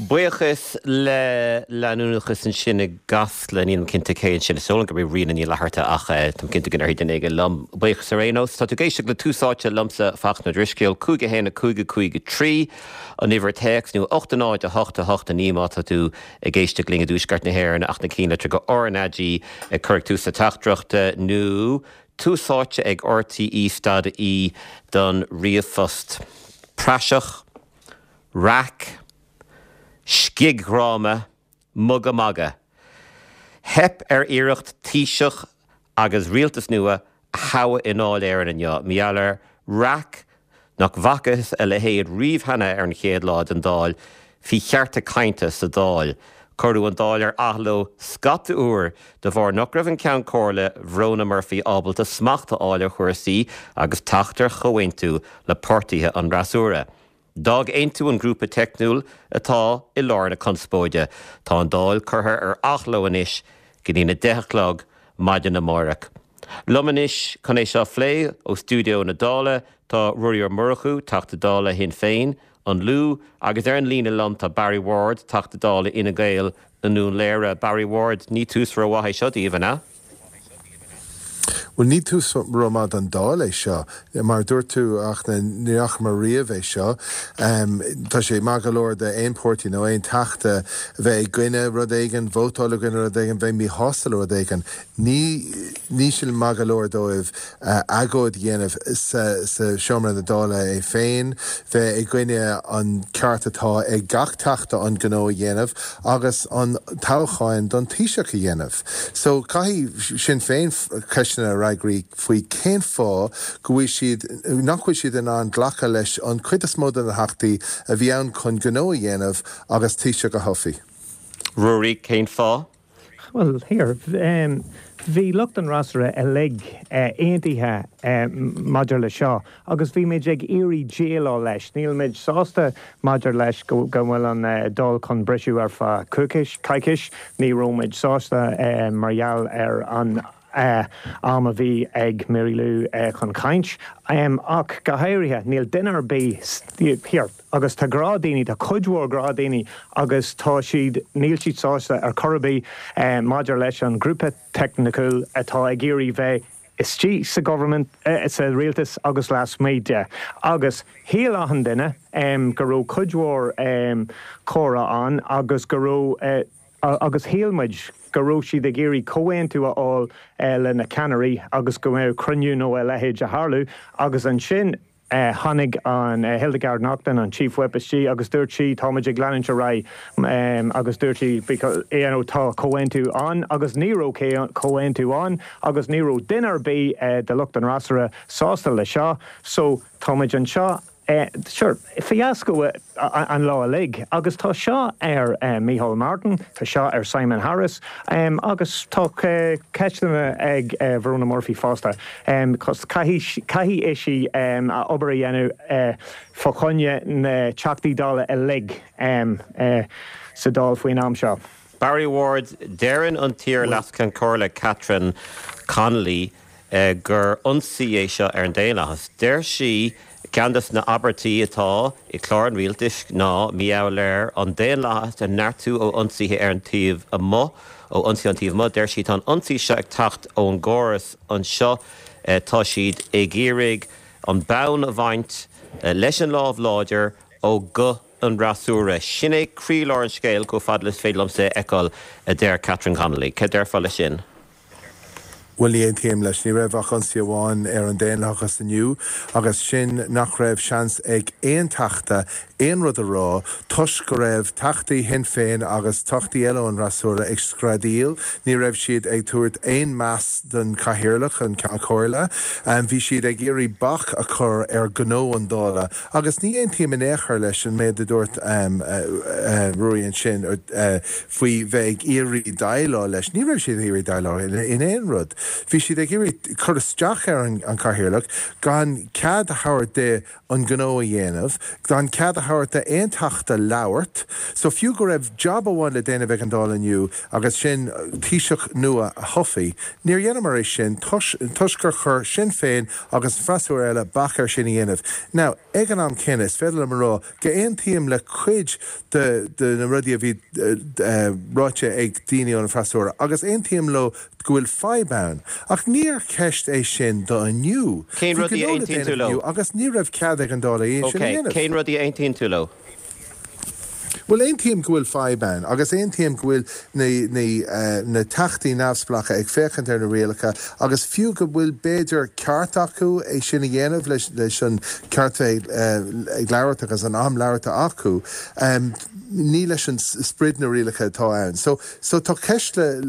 Buíochas le leanúnachas ansin i gCasla, nílim cinnte cé ansin, is dóigh liom gurb í Ríona Ní Fhlatharta ach táim cinnte go ndéarfaidh duine éigin liom. Buíochas ar aon nós. Tá tú ag éisteacht le Tús Áite liomsa, Fachtna Ó Drisceoil, 5 1 5 5 3 an uimhir téacs nó 8 0 8 8 9 má tá tú ag éisteacht linn i dTuaisceart na hÉireann ach na cinn litreacha RnaG ag cur ag tús na teachtaireachta nó Tús Áite ag RTÉ stad ie don ríomhphost. Praiseach. Raic, scigdhráma, mugadh magadh. Theip ar iarracht Taoiseach agus rialtas nua a thoghadh i nDáil Éireann inniu, mar gheall ar raic nach bhfacthas a leithéid riamh cheana ar an chéad lá den Dáil faoi chearta cainte sa Dáil. Cuireadh an Dáil ar athló scata uair de bharr nach raibh an Ceann Comhairle, Verona Murphy ábalta smacht a fháil ar chúrsaí agus teacht ar chomhaontú le páirtithe an fhreasúra. D'fhág Aontú an grúpa teicniúil atá i lár na conspóide. Tá an Dáil curtha ar athló anois go dtí'n 10 a chlog maidin amáireach. Liom anois chun é seo a phlé ó stiúideo na Dála tá Ruairí Ó Murchú, Teachta Dála Shinn Féin, An Lú, agus ar an líne liom tá Barry Ward, Teachta Dála Fhine Gael i nDún Laoghaire. Barry Ward, ní tús rómhaith é seo daoibh, an ea? Bhuel, ní tús rómhaith don Dáil é seo. Mar a dúirt tú, a Fhachtna, ní fhacamar riamh é seo. Tá sé maith go leor d'aon pháirtí nó aon Teachta bheith i gcoinne rud éigin, vótáil i gcoinne rud éigin, bheith míshásta le rud éigin. Ní, níl sé maith go leor dóibh agóid a dhéanamh sa seomra na Dála é féin, bheith i gcoinne an ceart atá ag gach Teachta an gnó a dhéanamh agus an toghcháin don Taoiseach a dhéanamh. So caithfidh Sinn Féin ceisteanna a fhreagairt faoi cén fáth go bhfuil siad, nach bhfuil siad in ann glacadh leis an cuid is mó de na Theachtaí a bhí ann chun gnó a dhéanamh agus Taoiseach a thoghadh. Ruairí, cén fáth? Bhuel, here, bhí lucht an fhreasúra uilig aontaithe maidir le seo agus bhí muid ag iarraidh déileáil leis. Níl muid sásta maidir leis go bhfuil an Dáil chun briseadh ar feadh coicís. Ní raibh muid sásta mar gheall ar an am a bhí ag Mary Lou chun caint. Ach go háirithe, níl duine ar bith, here, agus tá gnáthdhaoine, tá cuid mhór gnáthdhaoine agus tá siad, níl siad sásta ar chor ar bith maidir leis an ghrúpa teicniúil atá ag iarraidh bheith istigh sa government, sa rialtas agus lasmuigh de. Agus shíl achan duine go raibh cuid mhór comhrá ann agus go raibh, agus shíl muid go raibh siad ag iarraidh comhaontú a fháil le na ceannairí agus go mbeadh cruinniú nó a leithéid a tharlú agus ansin tháinig an Hildegarde Naughton, an Chief Whip istigh agus dúirt sí tá muid ag leanúint ar aghaidh agus dúirt sí because you know tá comhaontú ann agus ní raibh comhaontú ann agus ní raibh duine ar bith de lucht an fhreasúra sásta le seo so tá muid anseo Sure, fiasco an lá uilig agus tá seo ar Micheál Martin, tá seo ar Simon Harris agus tá ceisteanna ag Verona Murphy fosta. Cos caithfidh, caithfidh ise a obair a dhéanamh fá choinne na Teachtaí Dála uilig sa Dáil faoin am seo. Barry Ward, Deireann an t-iar-Leas-Cheann Comhairle Catherine Connolly gur ionsaí é seo ar an daonlathas. Deir sí, ceann de na abairtí atá i gclár an rialtais ná mar gheall ar an daonlathas a neartú ó ionsaithe ar an taobh amuigh, ó ionsaí ón taobh amuigh. Deir sí, tá an ionsaí seo ag teacht ón gcóras anseo, tá siad ag iarraidh an bonn a bhaint leis an lámh láidir ó ghuth an fhreasúra. Sin é croílár an scéil chomh fada le is féidir liomsa é a fheiceáil, a deir Catherine Connolly. Cad déarfá leis sin? Bhuel, ní aontaím leis. Ní raibh ach ionsaí amháin ar an daonlathachas inniu, agus sin nach raibh seans ag aon Teachta aon rud a rá toisc go raibh Teachtaí Shinn Féin agus Teachtaí eile ón bhfreasúra ag screadaíl. Ní raibh siad ag tabhairt aon meas don Chathaoirleach, an Ceann Comhairle. Bhí siad ag iarraidh bac a chur ar ghnó an Dála. Agus ní aontaím in aon chor leis an méid a dúirt Ruairí ansin faoi bheith ag iarraidh déileáil leis. Ní raibh siad ag iarraidh déileáil in aon rud. Bhí siad ag iarraidh cur isteach ar an Chathaoirleach gan cead a thabhairt di an gnó a dhéanamh, gan cead a. thabhairt d'aon Teachta labhairt. So fiú go raibh jab amháin le déanamh ag an Dáil inniu agus sin Taoiseach nua a thoghadh, níor dheineamar é sin toisc gur chuir Sinn Féin agus an freasúra eile bac air sin a dhéanamh. Now, ag an am céanna, is féidir liom a rá go aontaím le cuid de na rudaí a bhí ráite ag daoine ón bhfreasúra agus aontaím leo go bhfuil fadhb ann. Ach níor cheist é sin do inniu. Cén Bhí rudaí a gnó le aontaíonn tú déanamh leo? inniu agus ní raibh cead ag an Dáil é sin a Ok, dhéanamh. cén rudaí a aontaíonn tú leo? Bhuel, aontaím go bhfuil fadhb ann agus aontaím go bhfuil na, na, na teachtaí neamhspleácha ag féachaint ar na rialacha agus fiú go bhfuil b'fhéidir ceart acu é sin a dhéanamh leis, leis an ceart bheith ag labhairt agus an am labhartha acu, ní leis an sprid na rialacha atá ann. So, so tá ceist le,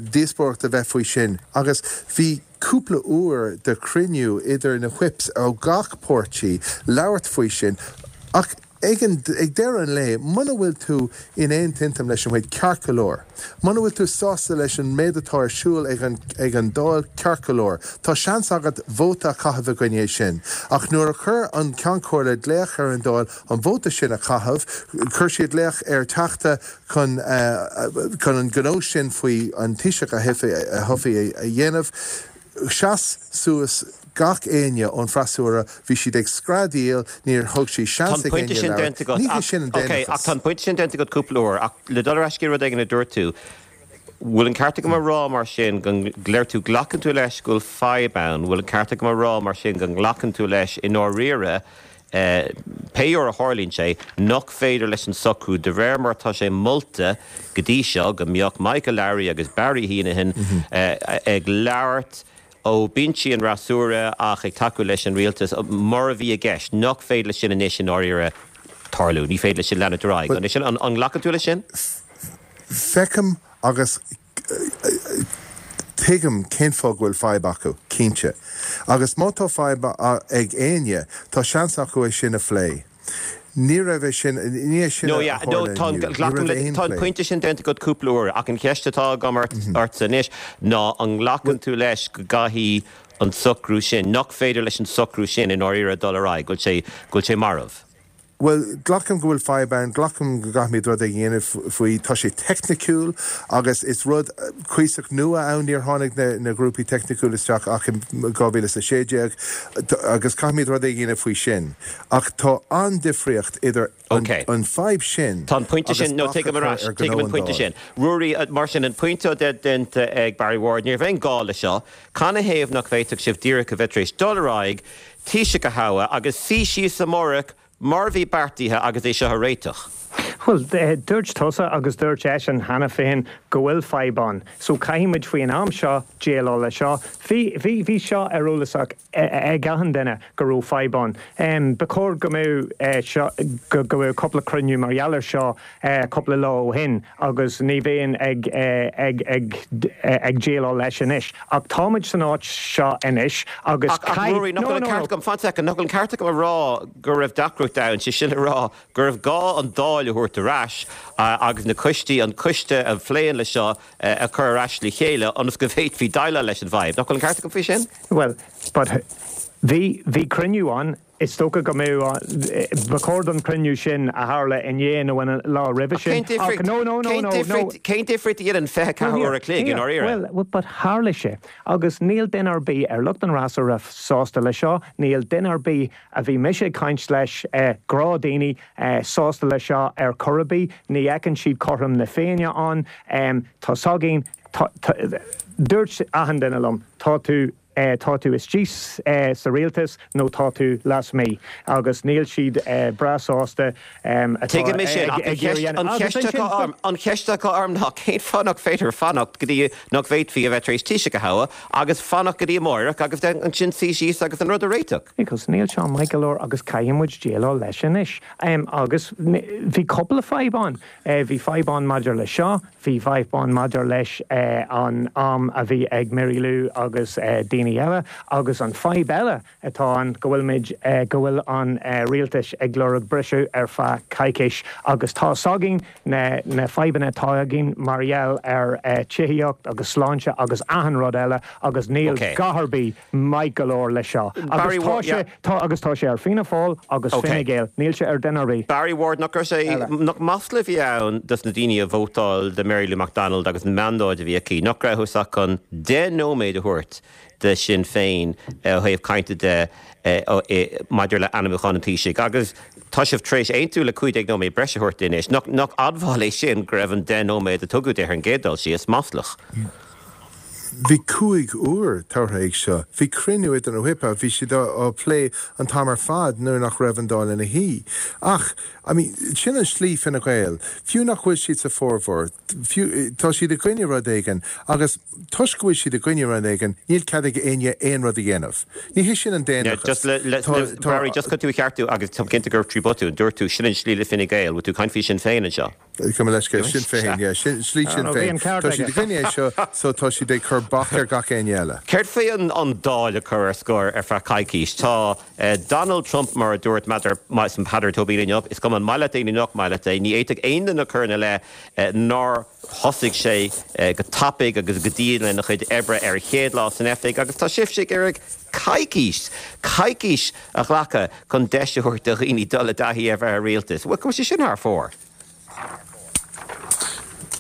díospóireacht a bheith faoi sin agus bhí cúpla uair de chruinniú idir na whips ó gach páirtí labhairt faoi sin ach Ag an, ag deireadh an lae, muna bhfuil tú in aon t-iontam leis an whip, ceart go leor. Muna bhfuil tú sásta leis an méid atá ar siúl ag an, ag an Dáil, ceart go leor. Tá seans agat vóta a chaitheamh i gcoinne é sin. Ach nuair a chuir an Ceann Comhairle glaoch ar an Dáil an vóta sin a chaitheamh, chuir siad glaoch ar Teachta chun, chun an gnó sin faoi an Taoiseach a thoghadh a dhéanamh. Sheas suas gach éinne ón bhfreasúra, bhí siad ag screadaíl, níor thug siad Tá seans an ag pointe éinne sin labhairt. déanta agat Ní hé ach, sin an ok, ach daonlathas. tá an pointe sin déanta agat cúpla uair ach le dul ar ais go dtí rud éigin a dúirt tú, bhfuil an ceart agam a rá mar sin go ndeir tú glacann tú leis go bhfuil fadhb ann, bhfuil an ceart agam a rá mar sin go nglacann tú leis i ndáiríre pé uair a tharlaíonn sé, nach féidir leis an socrú de réir mar atá sé molta go dtí seo, go mbeadh Michael Lowry agus Barry Heneghan ag labhairt ó bhinsí an fhreasúra ach ag tacú leis an rialtas, mar a bhí i gceist, nach féidir leis sin anois i ndáiríre tarlú. Ní féidir leis sin leanúint ar aghaidh. An é sin, an nglacann tú leis sin? Feicim agus Tuigim cén fáth go bhfuil fadhb acu, cinnte. Agus má tá fadhb ag éinne, tá seans acu é sin a phlé. Ní raibh é sin, ní é sin No, a yeah, no, tharla tá an, inniu. Ní glacaim raibh le, aon tá an phlé. pointe sin déanta agat cúpla uair, ach an cheist atá agam ort, ortsa anois ná an nglacann tú leis go gcaithfidh an socrú sin, nach féidir leis an socrú sin i ndáiríre dul ar aghaidh, go bhfuil sé, go bhfuil sé marbh? Bhuel, glacaim go bhfuil fadhb ann, glacaim go gcaithfimid rud éigin a dhéanamh faoi. Tá sé teicniciúil agus is rud cuíosach nua ann, níor tháinig na grúpaí teicniciúla isteach ach in 2016 agus caithfimid rud éigin a dhéanamh faoi sin. Ach tá an-difríocht idir an fadhb sin Tá an pointe agus sin, no, bac a tuigim ar chur ais, ar tuigim ghnó an an pointe Dáil. sin. Ruairí, mar sin, an pointe atá déanta ag Barry Ward, ní raibh aon gá le seo. Canathaobh nach bhféadfadh sibh díreach a bheith tar éis dul ar aghaidh, Taoiseach a thoghadh agus suí síos amárach mar a bhí beartaithe agus é seo a réiteach. Bhuel, dúirt tusa agus dúirt eisean cheana féin go bhfuil fadhb ann. So caithfidh muid faoi an am seo déileáil leis seo. Bhí, bhí, bhí seo ar eolas ag achan duine go raibh fadhb ann. Ba chóir go mbeadh seo, go mbeadh cúpla cruinniú mar gheall ar seo cúpla lá ó shin agus ní bheinn ag, ag, ag, ag déileáil leis anois. Ach táimid san áit seo anois agus Ach, ach caith, Ruairí, nach no, bhfuil an no, ceart no. agam, fan soicind, nach bhfuil an ceart agam a rá go raibh deacracht ann, sé sin le rá go raibh gá an Dáil a thabhairt ar ais agus na coistí, an coiste a phléann le seo a chur ar ais le chéile ionas go bhféadfaí déileáil leis an bhfadhb. Nach bhfuil an ceart agam faoi sin? Bhuel, but bhí, bhí cruinniú ann Is dócha go mbeadh, ba chóir don chruinniú sin a tharla inné nó an lá roimhe Ach cén sin ach difríocht, no, no, no, cén no, no. difríocht, cén difríocht a dhéanann 24 uair a chloig i ndáiríre? Well, but tharla sé agus níl duine ar bith ar lucht an fhreasúra sásta leis seo, níl duine ar bith a bhí mise ag caint leis, gnáthdhaoine, sásta leis seo ar chor ar bith, ní fheiceann siad cothrom na Féinne ann, tá 's againn, tá, tá, dúirt achan duine liom, tá tú. tá tú istigh sa rialtas nó tá tú lasmuigh agus níl siad breá sásta atá Tuigim é sin, ach ag iarraidh an agus cheist atá orm, an cheist atá orm ná cén fáth nach féidir fanacht go dtí nach bhféadfaí a bheith tar éis Taoiseach a thoghadh agus fanacht go dtí amáireach agus ansin suí síos agus an rud a réiteach? Because níl seo maith go leor agus caithfidh muid déileáil leis anois. Agus bhí cúpla fadhb ann. Bhí fadhb ann maidir le seo, Bhí fadhb ann maidir leis an am a bhí ag Mary Lou agus daoine. daoine eile agus an fadhb eile atá ann go bhfuil muid, go bhfuil an rialtas ag lorg briseadh ar feadh coicís agus tá 's againn na na fadhbanna atá againn mar gheall ar tithíocht agus sláinte agus achan rud eile agus níl Ok. dath ar bith maith go leor le seo. Agus Barry tá Ward, sé, yeah. tá, agus tá sé ar Fianna Fáil agus Ok. Fine Gael, níl sé ar duine ar bith Barry Ward, nach raibh sé, eile. nach masla a bhí ann dos na daoine a vótáil do Mary Lou McDonald agus an mandóid a bhí aici, nach rabhthas ach chun 10 nóiméad a thabhairt de Sinn Féin ó thaobh cainte de maidir le ainmniúchán an Taoisigh agus tá sibh tar éis aontú le 15 nóiméad breise a thabhairt di anois. Nach admháil é sin go raibh an 10 nóiméad a tugadh di ar an gcéad dul síos maslach? Bhí 5 uair tabhartha ag seo. Bhí cruinniú idir na whip, bhí siad á plé an t-am ar fad nuair nach raibh an Dáil ina shuí. Ach, I mean, sin an slí Fine Gael. Fiú nach bhfuil siad sa formhór, fiú, tá siad i gcoinne rud éigin agus, Toisc go bhfuil siad i gcoinne rud éigin, níl cead ag éinne aon rud a dhéanamh. Ní hé sin an daonlathas. Just le, le, Tá, le, tá. Barry, just chun tú a cheartú, agus táim cinnte gur trí botún, dúirt tú, sin an slí le Fine Gael, bhfuil tú ag caint faoi Sinn Féin anseo? Gabh mo leithscéal, Sinn Féin, yeah, sin, slí Sinn Bhí Féin. an ceart Tá siad aige. i gcoinne é seo, so tá siad ag cur bac ar gach éinne eile. Céard faoi an, an Dáil a chur ar scor ar feadh coicís? Tá Donald Trump, mar a dúirt Peadar Tóibín inniu, is cuma an maith leat é nó nach maith leat é, ní fhéadfadh aon duine a chur ina leith nár thosaigh sé go tapaidh agus go dian lena chuid oibre ar a chéad lá san oifig agus tá sibhse ag iarraidh coicís, coicís a ghlacadh chun deis a thabhairt do dhaoine dul i dtaithí ar bheith i rialtas. Bhuel, go bhfuil sé sin thar fóir?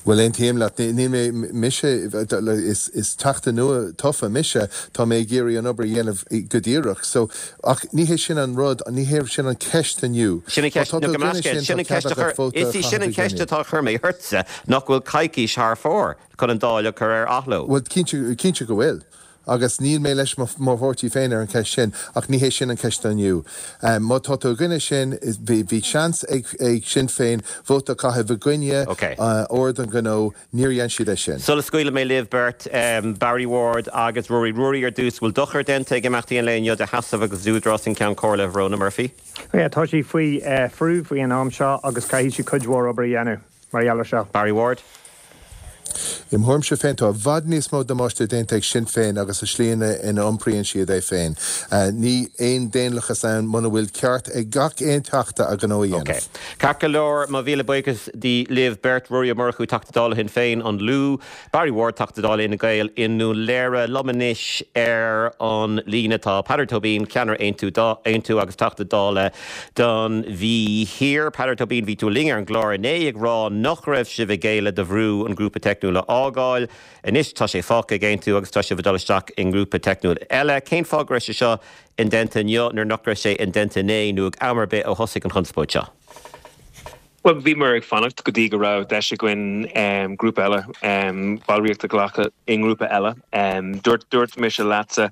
Bhuel, aontaím leat. Níl mé, mise, is Teachta nua tofa mise, tá mé ag iarraidh an obair a dhéanamh go díreach. So, ach ní hé sin an rud, ní hé sin an ceist inniu. Sin an Má ceist, tá nó tú go i gcoinne measctha, sin, sin tá an cead ceist a agat chuir, vóta a is í sin chaitheamh an i ceist gcoinne. atá a chur mé ortsa, nach bhfuil coicís thar fóir chun an Dáil a chur ar athló. Bhuel, cinnte, cinnte go bhfuil. Agus níl mé leis mo pháirtí féin ar an cheist sin, ach ní hé sin an ceist inniu. Má tá tú i gcoinne sin, bhí, bhí seans ag, ag Sinn Féin vóta a chaitheamh i gcoinne Ok. ord an ghnó, níor dhein siad é sin. Sula scaoilfidh mé libh beirt, Barry Ward agus Ruairí. Ruairí, ar dtús, bhfuil dochar déanta ag imeachtaí an lae inniu do sheasamh agus d'údarás an Ceann Comhairle, Rhona Murphy? Yeah, tá sí faoi bhrú faoi an am seo agus caithfidh sí cuid mhór obair a dhéanamh mar gheall ar seo. Barry Ward. I mo thuairimse féin, tá i bhfad níos mó damáiste déanta ag Sinn Féin agus an slí ina iompraíonn siad é féin. Ní aon daonlathas ann muna bhfuil ceart ag gach aon Teachta a ghnó a Ok. dhéanamh. Ceart go leor, mo mhíle buíochas libh beirt, Ruairí Ó Murchú, Teachta Dála Shinn Féin, An Lú, Barry Ward, Teachta Dála Fhine Gael i nDún Léire. Liom anois ar an líne tá Peadar Tóibín, Ceannaire Aontú, Aontú agus Teachta Dála don Mhí Thiar. Peadar Tóibín, bhí tú linn ar an gclár inné ag rá nach raibh sibh ag géilleadh do bhrú an grúpa teicniúil a fhágáil. Anois tá sé fágtha ag Aontú agus tá sibh ag dul isteach i ngrúpa teicniúil eile. Cén fáth go raibh sé seo indéanta inniu nuair nach raibh sé indéanta inné nó ag am ar bith ó thosaigh an chonspóid seo? Bhuel, bhíomar ag fanacht go dtí go raibh deis againn grúpa eile, ballraíocht a ghlacadh i ngrúpa eile. Dúirt, dúirt mise leatsa,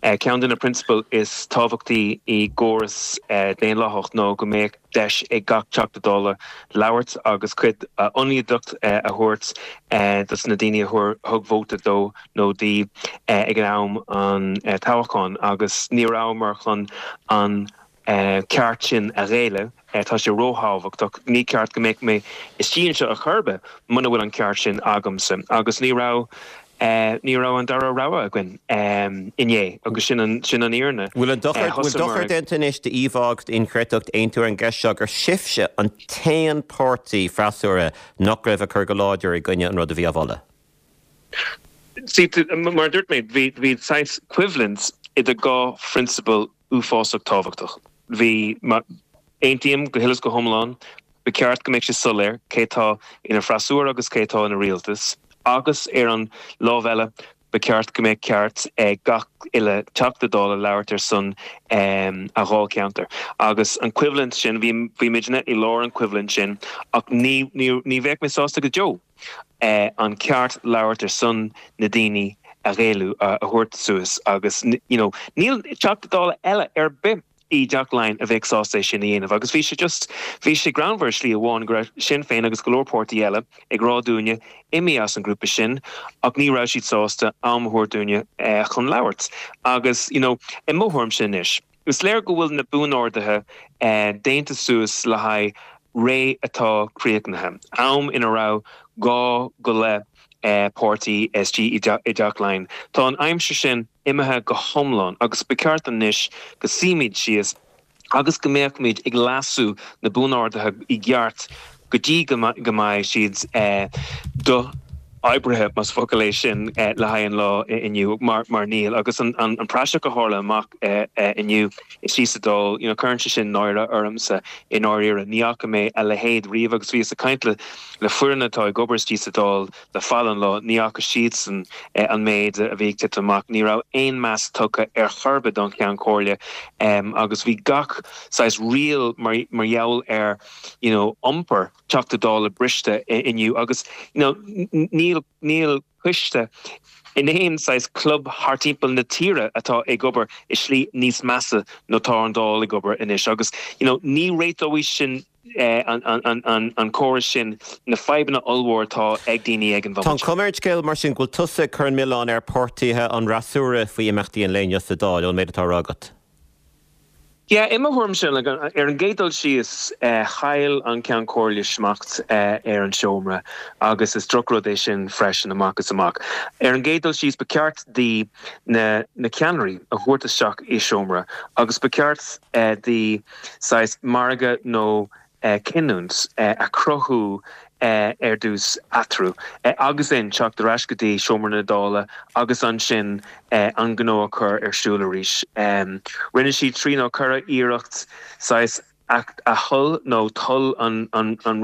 ceann de na prionsabail is tábhachtaí i gcóras daonlathach ná go mbeadh deis ag gach Teachta Dála labhairt agus cuid ionadaíocht a thabhairt dos na daoine a thug vóta dó nó di ag an am an toghcháin agus ní rabhamar chun an ceart sin a ghéilleadh. Tá sé róthábhachtach. Ní ceart go mbeadh mé istigh anseo ar chor ar bith muna bhfuil an ceart sin agamsa. Agus ní raibh, ní raibh an dara rogha againn inné agus sin an, sin an fhírinne. Bhfuil an dochar, bhfuil dochar déanta anois d'íomhá agus d'inchreidteacht Aontú ar an gceist seo gur sibhse an t-aon páirtí freasúra nach raibh ag cur go láidir i gcoinne an rud a bhí á mholadh? See, mar a dúirt mé, bhí, bhí saghas coimhlint idir dhá phrionsabal uafásach tábhachtach. Bhí, aontaím go huile is go hiomlán, ba cheart go mbeadh sé soiléir cé tá ina freasúra agus cé tá ina rialtas, agus ar an lámh eile, ba cheart go mbeadh ceart ag gach uile Teachta Dála labhairt ar son a dháilcheantair. Agus an choimhlint sin, bhí, bhí muidne i lár an choimhlint sin, ach ní, ní, ní bheadh mé sásta go deo. an ceart labhairt ar son na daoine a ghéilleadh, a thabhairt suas agus you know níl Teachta Dála eile ar bith i dTeach Laighean a bheadh sásta é sin a dhéanamh agus bhí sé just, bhí sé greannmhar i slí amháin go raibh Sinn Féin agus go leor páirtí eile ag rá dúinne imigh as an grúpa sin ach ní raibh siad sásta am a thabhairt dúinne chun labhairt agus you know i mo thuairimse anois. Is léir go bhfuil na buanorduithe déanta suas le haghaidh ré atá críochnaithe, am ina raibh 2 go leith páirtí istigh i dTeach Laighean. Tá an aimsir sin. imithe go hiomlán agus ba cheart anois go suímid síos agus go mbeadhmid ag leasú na buan-orduithe i gceart go dtí go mbeidh siad do-oibrithe, más focal é sin, le haghaidh an lá inniu, mar níl. Agus an praiseach a tharla amach inniu istigh sa Dáil, you know, cuireann sé sin náire ormsa i ndáiríre. Ní fhaca mé a leithéid riamh agus bhíos ag caint le foireann atá ag obair istigh sa Dáil le fada an lá, ní fhaca siadsan an méid a bhí ag titim amach. Ní raibh aon meas tugtha ar chor ar bith don Cheann Comhairle agus bhí gach saghas riail mar gheall ar you know iompar Teachta Dála briste inniu agus you know níl níl coiste in aon saghas club thart timpeall na tíre atá ag obair i slí níos measa ná tá an Dáil ag obair anois agus you know ní réiteoidh sin an córas sin na fadhbanna ollmhór atá ag daoine ag an Tá an bhomaite. chuma ar an scéal mar sin go bhfuil tusa ag cur an milleán ar pháirtithe an fhreasúra faoi imeachtaí an lae inniu sa Dáil, ón méid atá á rá agat. Yeah, i mo thuairimse, ar an gcéad dul síos, chaill an Ceann Comhairle smacht ar an seomra agus is drochrud é sin freisin, amach is amach. Ar an gcéad dul síos, ba cheart di na ceannairí a thabhairt isteach i seomra agus ba cheart di saghas margadh nó cinniúint a chruthú ar dtús eatarthu agus ansin teacht ar ais go dtí seomra na Dála agus ansin an gnó a chur ar siúl arís. Rinne sí trí nó ceithre iarracht saghas a thoil nó toil an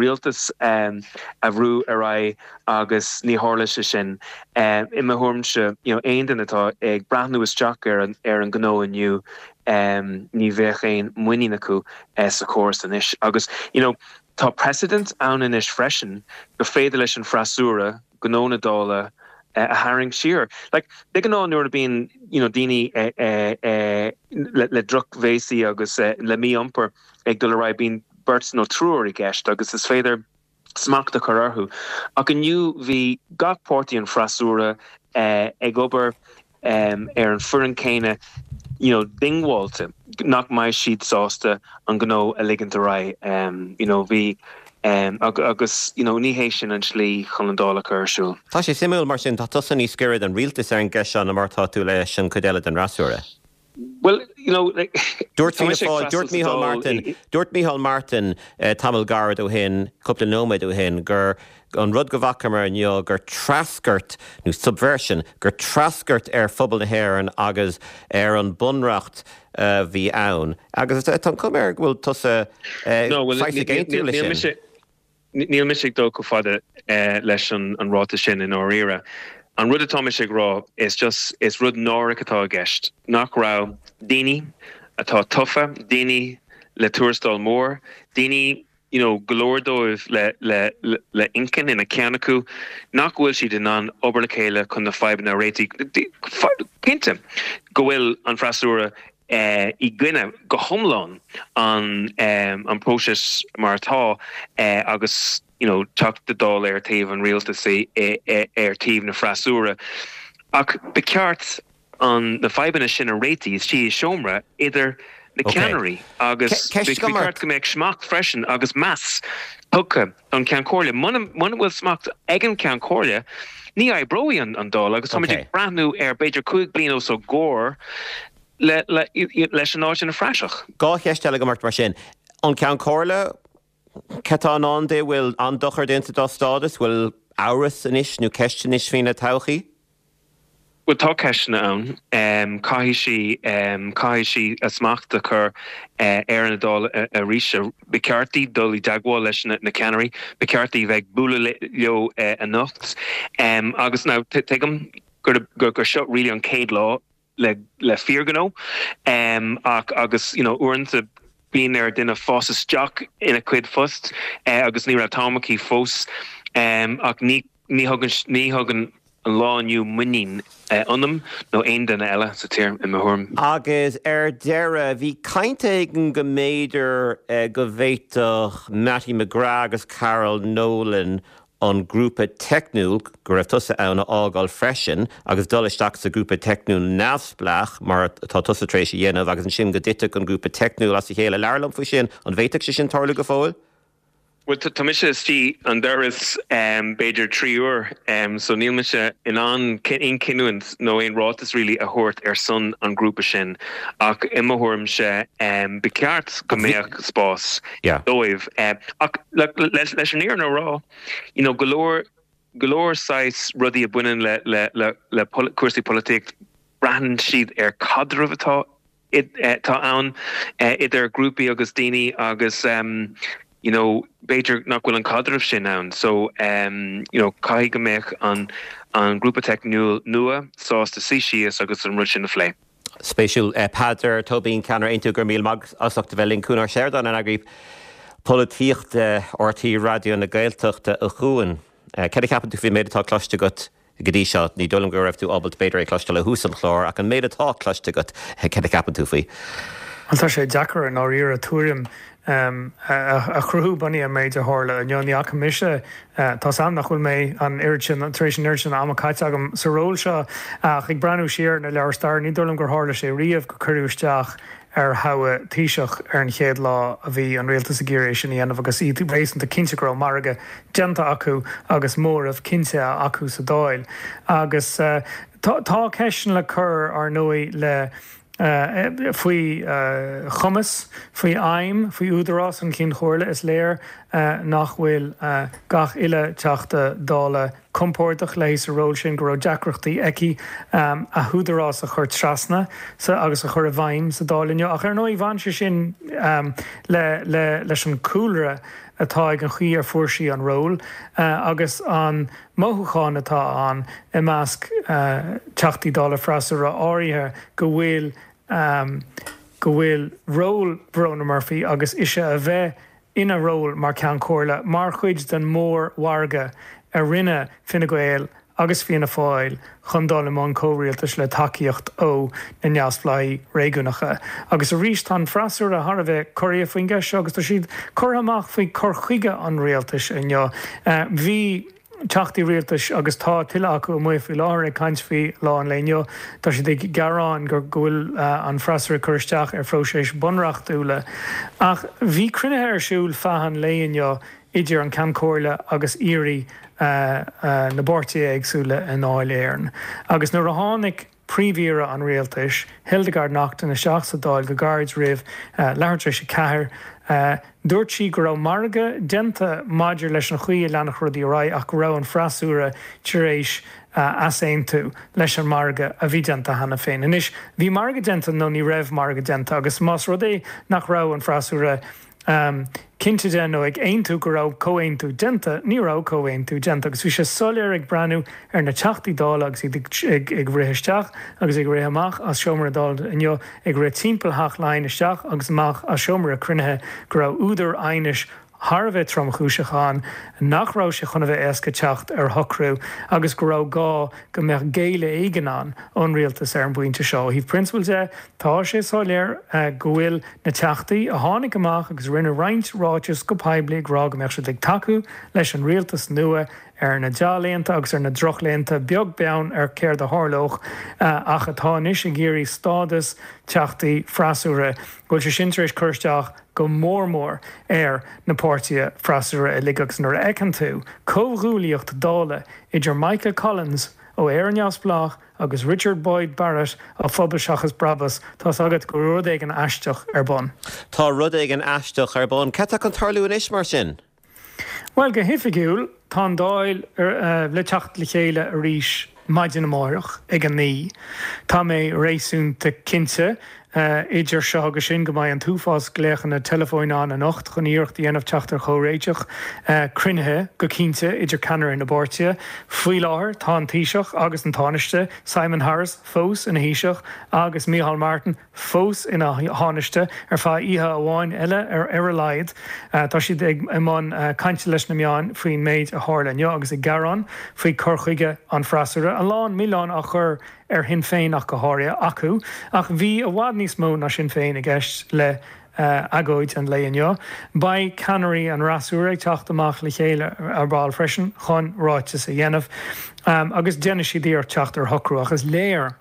rialtais a bhrú ar aghaidh agus ní tharla sé sin. I mo thuairimse, aon duine atá ag breathnú isteach ar an ngnó inniu, ní bheadh aon muinín acu sa chóras anois. Agus you know tá precedent ann anois freisin gur féidir leis an freasúra gnó na Dála a tharraingt siar. Like de ghnáth nuair a bíonn you know daoine le drochbhéasaí agus le mí-iompar ag dul ar aghaidh bíonn beirt nó triúr i gceist agus is féidir smacht a chur orthu. Ach inniu bhí gach páirtí an freasúra ag obair ar an foireann céanna, you know, diongbháilte nach mbeidh siad sásta an gnó a ligint ar aghaidh. You know, bhí agus you know ní hé sin an tslí chun an Dáil a chur ar siúl. Tá sé suimiúil mar sin, tá tusa níos gaire don rialtas ar an gceist seo ná mar atá tú leis an chuid eile den fhreasúra. Well, you know, like, Dúirt Fianna Fáil, dúirt Micheál Martin, dúirt Micheál Martin tamall gairid ó shin, cúpla nóiméad ó shin, gur an rud go bhfacamar inniu gur treascairt, nó subversion, gur treascairt ar phobal na hÉireann agus ar an bunreacht a bhí ann. Agus tá an chuma air go bhfuil tusa saghas ag aontú leis sin. Níl mise ag dul chomh fada leis an ráiteas sin i ndáiríre. An rud atá mise ag rá is just, is rud náireach atá i gceist, nach raibh daoine atá tofa, daoine le tuarastal mór, daoine you know go leor dóibh le le le inchinn ina ceann acu, nach bhfuil siad in ann obair le chéile chun na fadhbanna a réitigh. Cinnte go bhfuil an freasúra i gcoinne go hiomlán an próiseas mar atá agus you know Teachta Dála ar taobh an rialtais ar taobh na freasúra ach ba cheart an na fadhbanna sin a réitigh istigh i seomra idir na ceannairí agus ba cheart go mbeadh smacht freisin agus meas tugtha don Cheann Comhairle. Muna bhfuil smacht ag an Cheann Comhairle, ní oibreoidh an Dáil agus táimid ag breathnú ar b'fhéidir 5 bliana os ár gcomhair leis an áit ina phraiseach. Dhá cheist eile agam ort mar sin. An Ceann Comhairle, cad tá i ndán di? Bhfuil an-dochar déanta dá stádas? Bhfuil amhras anois nó ceist anois faoina todhchaí? Bhuel, tá ceisteanna ann. Caithfidh sí, caithfidh sí a smacht a chur ar an Dáil arís. Ba cheart di dul i dteagmháil leis na ceannairí. Ba cheart di bheith ag bualadh leo anocht. Agus now, tuigim gur seo really an chéad lá le fíorghnó ach agus you know uaireanta bíonn ar duine fás isteach ina chuid phost agus ní raibh t-am aici fós ach ní Ní thugann, ní thugann an lá inniu muinín ionam nó aon duine eile sa tír, i mo thuairim. Agus ar deireadh, bhí caint éigin go mb'fhéidir go bhféadfadh Mattie McGrath agus Carol Nolan an grúpa teicniúil, go raibh tusa ann, a fhágáil freisin agus dul isteach sa ghrúpa teicniúil neamhspleách, mar atá tusa tar éis a dhéanamh, agus ansin go dtitfeadh an grúpa teicniúil as a chéile. Labhair liom faoi sin. An bhféadfadh sé sin tarlú go fóill? Bhuel, tá mise istigh an doras b'fhéidir 3 uair so níl mise in ann aon chinniúint nó aon ráiteas really a thabhairt ar son an ghrúpa sin ach i mo thuairimse ba cheart go mbeadh spás dóibh. Ach leis an fhírinne a rá, you know, go leor go leor saghas rudaí a bhaineann le le le cúrsaí polaitíocht braitheann siad ar caidreamh atá atá ann idir grúpaí agus daoine agus you know b'fhéidir nach bhfuil an caidreamh sin ann so you know caithfidh go mbeadh an an grúpa teicniúil nua sásta suí síos agus an rud sin a phlé. Spéisiúil. Peadar Tóibín, Ceannaire Aontú, go raibh míle maith agat as ucht a bheith linn. Cuan Ó Seireadáin, an Eagraí Polaitíochta RTÉ Raidió na Gaeltachta, a Chuain. Céard a cheapann tú faoin méid atá cloiste agat Go dtí seo, ní dóigh liom go raibh tú ábalta b'fhéidir é a chloisteáil ó thús an chláir, ach an méid atá cloiste agat, céard a cheapann tú faoi? Bhuel, tá sé deacair i ndáiríre tuairim a chruthú bunaithe ar an méid a tharla inniu. Ní fhaca mise, tá's a'm nach bhfuil mé an oiread sin, tar éis an oiread sin ama caite agam sa ról seo, ach ag breathnú siar ar na leabhair staire, ní dóigh liom gur tharla sé riamh gur cuireadh isteach ar thoghadh Taoiseach ar an chéad lá a bhí an rialtas ag iarraidh é sin a dhéanamh agus iad réasúnta cinnte go raibh margadh déanta acu agus móramh cinnte acu sa Dáil. Agus tá ceisteanna le cur, ar ndóigh, le faoi chumas, faoi fheidhm, faoi údarás an Chinn Chomhairle. Is léir nach bhfuil gach uile Teachta Dála compordach léi sa ról sin, go raibh deacrachtaí aici a húdarás a chur trasna agus a chur i bhfeidhm sa Dáil inniu. Ach ar ndóigh bhain sé sin le leis an cúlra atá ag an chaoi ar fuair sí an ról agus an mothúchán atá ann i measc Teachtaí Dála freasúra áirithe go bhfuil go bhfuil ról Verona Murphy agus ise a bheith ina ról mar Cheann Comhairle mar chuid den mhórmhargadh a rinne Fine Gael agus Fianna Fáil chun dul i mbun comhrialtais le tacaíocht ó na neamhspleáigh réigiúnacha. Agus arís tá an freasúra thar a bheith corraithe faoin gceist seo agus tá siad curtha amach faoi chur chuige an rialtais inniu. Bhí. Teachtaí rialtais, agus tá tuilleadh acu amuigh faoi láthair ag caint faoi lá an lae inniu. Tá siad ag gearán go bhfuil an freasúra ag cur isteach ar phróiseas bunreachtúla. Ach bhí cruinnithe ar siúl feadh an lae inniu idir an Ceann Comhairle agus aoirí na bpáirtithe éagsúla i nDáil Éireann. Agus nuair a tháinig. Príomh-Aoire an Rialtais, Hildegarde Naughton isteach sa Dáil go gairid roimh leathuair tar éis 4. Dúirt sí go raibh margadh déanta maidir leis an chaoi a leanfadh rudaí ar aghaidh ach go raibh an freasúra tar éis easaontú leis an margadh a bhí déanta cheana féin. Anois, bhí margadh déanta nó ní raibh margadh déanta agus más rud é nach raibh an freasúra cinnte de nó ag aontú go raibh comhaontú déanta, ní raibh comhaontú déanta agus bhí sé soiléir ag breathnú ar na Teachtaí Dála agus iad ag rith isteach agus ag rith amach as seomra na Dála inniu, ag rith timpeall Theach Laighean isteach agus amach as seomra cruinnithe go raibh údar aighnis thar a bheith tromchúiseach ann, nach raibh sé chun a bheith éasca teacht ar shocrú agus go raibh gá go mbeadh géilleadh éigin ann ón rialtas ar an bpointe seo. Ó thaobh prionsabail de, tá sé soiléir go bhfuil na Teachtaí a tháinig amach agus a rinne roinnt ráiteas go poiblí ag rá go mbeadh siad ag tacú leis an rialtas nua ar na dea-laethanta agus ar na drochlaethanta, beag beann ar céard a tharlódh, ach atá anois ag iarraidh stádas Teachtaí freasúra, go bhfuil sé sin tar éis cur isteach go mór mór ar na páirtithe freasúra uilig agus nuair a fheiceann tú comhghuaillíocht Dála idir Michael Collins ó Éire Neamhspleách agus Richard Boyd Barrett ó Phobal Seachas Brabús, tá's agat go bhfuil rud éigin aisteach ar bun. Tá rud éigin aisteach ar bun. Cad tá chun tarlú anois, mar sin? Bhuel, go hoifigiúil, tá an Dáil le teacht le chéile arís maidin amárach ag 9. Tá mé réasúnta cinnte, idir seo agus sin, go mbeidh an t-uafás glaochanna teileafóin ann anocht chun iarracht a dhéanamh teacht ar chomhréiteach. Cruinnithe, go cinnte, idir ceannairí na bpáirtithe. Faoi láthair, tá an Taoiseach agus an Tánaiste, Simon Harris fós ina Thaoiseach agus Micheál Martin, fós ina Thánaiste ar feadh oíche amháin eile ar a laghad. Tá siad i mbun cainte leis na meáin faoin méid a tharla inniu agus ag gearán faoi chur chuige an freasúra. A lán milleáin á chur ar Shinn Féin ach go háirithe acu. Ach bhí i bhfad níos mó ná Sinn Féin i gceist le agóid an lae inniu. Beidh ceannairí an fhreasúra ag teacht amach le chéile ar ball freisin chun ráiteas a dhéanamh agus déanfaidh siad iarracht teacht ar shocrú. Ach is léir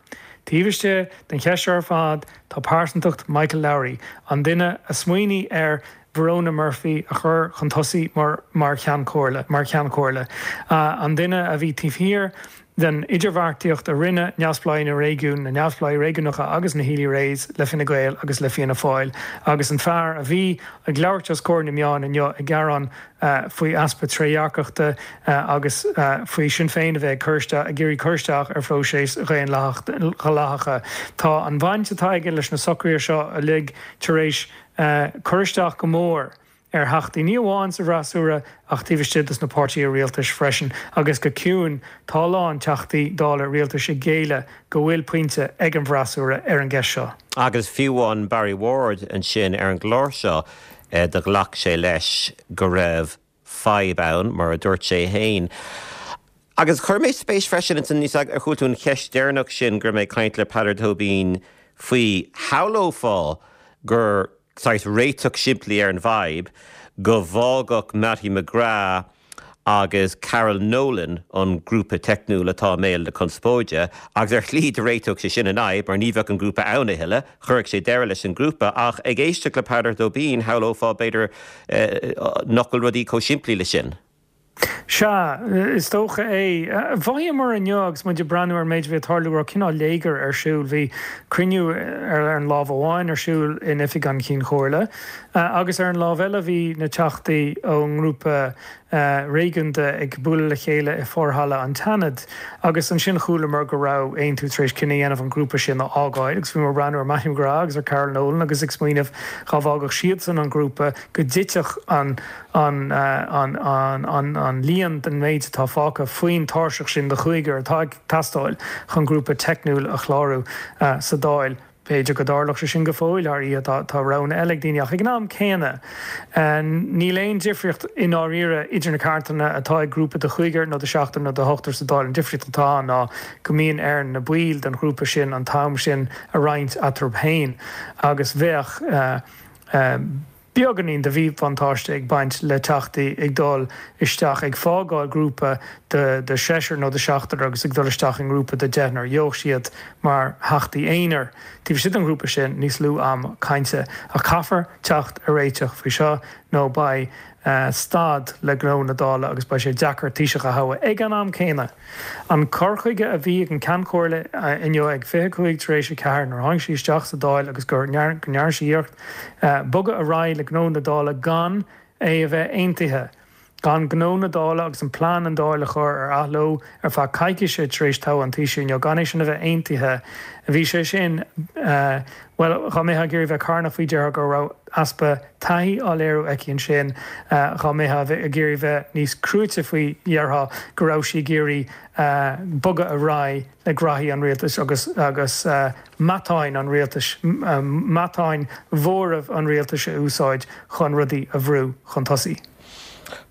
Taobh istigh den cheist seo ar fad tá pearsantacht Michael Lowry, an duine a smaoinigh ar. Verona Murphy a chur chun tosaigh mar mar Cheann Comhairle, mar Cheann Comhairle. An duine a bhí taobh thiar den idirbheartaíocht a rinne neamhspleáigh na réigiún, na neamhspleáigh réigiúnacha agus na Healy-Raes le Fine Gael agus le Fianna Fáil agus an fear a bhí ag labhairt os comhair na meán inniu ag gearán faoi easpa trédhearcachta agus faoi Sinn Féin a bheith ag cur isteach, ag iarraidh cur isteach ar phróiseas dhaonlathacha. Tá an bhaint atá aige leis na socruithe seo uilig tar éis cur isteach go mór ar theachtaí, ní amháin sa bhfreasúra ach taobh istigh dos na páirtithe rialtais freisin. Agus go ciúin, tá a lán teachtaí Dála rialtais ag géilleadh go bhfuil pointe ag an bhfreasúra ar an gceist seo. Agus fiú amháin Barry Ward ansin ar an gclár seo do ghlac sé leis go raibh fadhb ann, mar a dúirt sé féin. Agus chuir mé spéis freisin ins an, ar chuala tú an cheist deireanach sin go raibh mé ag caint le Peadar Tóibín faoi, shamhlófá gur saghas réiteach simplí ar an bhfadhb go bhfágfadh Mattie McGrath agus Carol Nolan an grúpa teicniúil atá i mbéal na conspóide, agus ar shlí do réiteodh sé sin an fhadhb mar ní bheadh an grúpa ann a thuilleadh, chuirfeadh sé deireadh leis an ngrúpa. Ach ag éisteacht le Peadar Tóibín, shamhlófá b'fhéidir nach bhfuil rudaí chomh simplí le sin. Sea, is dócha é. Mhothaíomar inniu agus muid ag breathnú ar an méid a bhí ag tarlú go raibh cineál léigear ar siúl. Bhí cruinniú ar an lámh amháin ar siúl in oifig an Chinn Chomhairle agus ar an lámh eile bhí na teachtaí ón ngrúpa réigiúnda ag bualadh le chéile i forhalla an tSeanaid agus ansin chualamar go raibh Aontú tar éis cinneadh a dhéanamh an grúpa sin a fhágáil agus bhíomar ag breathnú ar Mattie McGrath agus ar Carol Nolan agus ag smaoineamh dhá bhfágfadh siadsan an grúpa go dtitfeadh an an an líon den méid atá fágtha faoin tairseach sin de chúigear atá ag teastáil chun grúpa teicniúil a chlárú sa Dáil. B'fhéidir go dtarlódh sé sin go fóill thar oíche, tá roghanna eile ag daoine, ach ag an am céanna, níl aon difríocht i ndáiríre idir na ceartanna atá ag grúpa de chúigear nó de sheachtar nó de hochtar sa Dáil. An difríocht atá ann ná go mbíonn ar na baill den ghrúpa sin an t-am sin a roinnt eatarthu féin agus bheadh beagáinín de mhíbhuntáiste ag baint le teachtaí ag dul isteach, ag fágáil grúpa de sheisear nó de sheachtar agus ag dul isteach i ngrúpa de deichniúr. Gheobhadh siad mar theachtaí aonair taobh istigh den ghrúpa sin níos lú am cainte. Ach caithfear teacht ar réiteach faoi seo nó beidh stad le gnó na Dála agus beidh sé deacair Taoiseach a thoghadh ag an am céanna. An cur chuige a bhí ag an Ceann Comhairle inniu ag 25 tar éis 4 nuair a tháinig sí isteach sa Dáil agus go ndearna sí iarracht bogadh ar aghaidh le gnó na Dála gan é a bheith aontaithe, gan gnó na Dála agus an plean an Dáil a chur ar athló ar feadh coicíse tar éis toghadh an Taoisigh inniu, gan é sin a bheith aontaithe, bhí sé sin, bhuel, dá mbeifeá ag iarraidh bheith carnach faoi déarfá go raibh easpa taithí á léiriú aici ansin. Dhá mbeifeá ag iarraidh bheith níos cruaite faoi dhéarfá go raibh sí ag iarraidh bogadh ar aghaidh le graithí an rialtais agus agus matáin an rialtais, matáin mhóramh an rialtais a úsáid chun rudaí a bhrú chun tosaigh.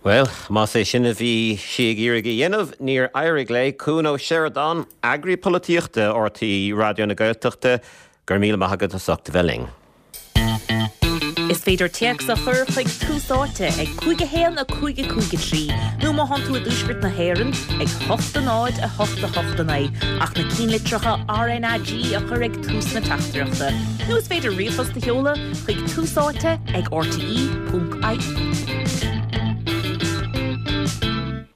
Bhuel, más é sin a bhí sí ag iarraidh a dhéanamh, níor éirigh léi. Cuan Ó Seireadáin, Eagraí Polaitíochta RTÉ Raidió na Gaeltachta, go raibh míle maith agat as ucht a bheith linn. Is féidir téacs a chur chuig Tús Áite ag 5 1 5 5 3 nó má thánn tú i dtuaisceart na hÉireann ag 8 0 8 8 9 ach na cinnlitreacha RnaG a chur ag tús na teachtaireachta. Nó is féidir ríomhphost a sheoladh chuig Tús Áite ag rte.ie.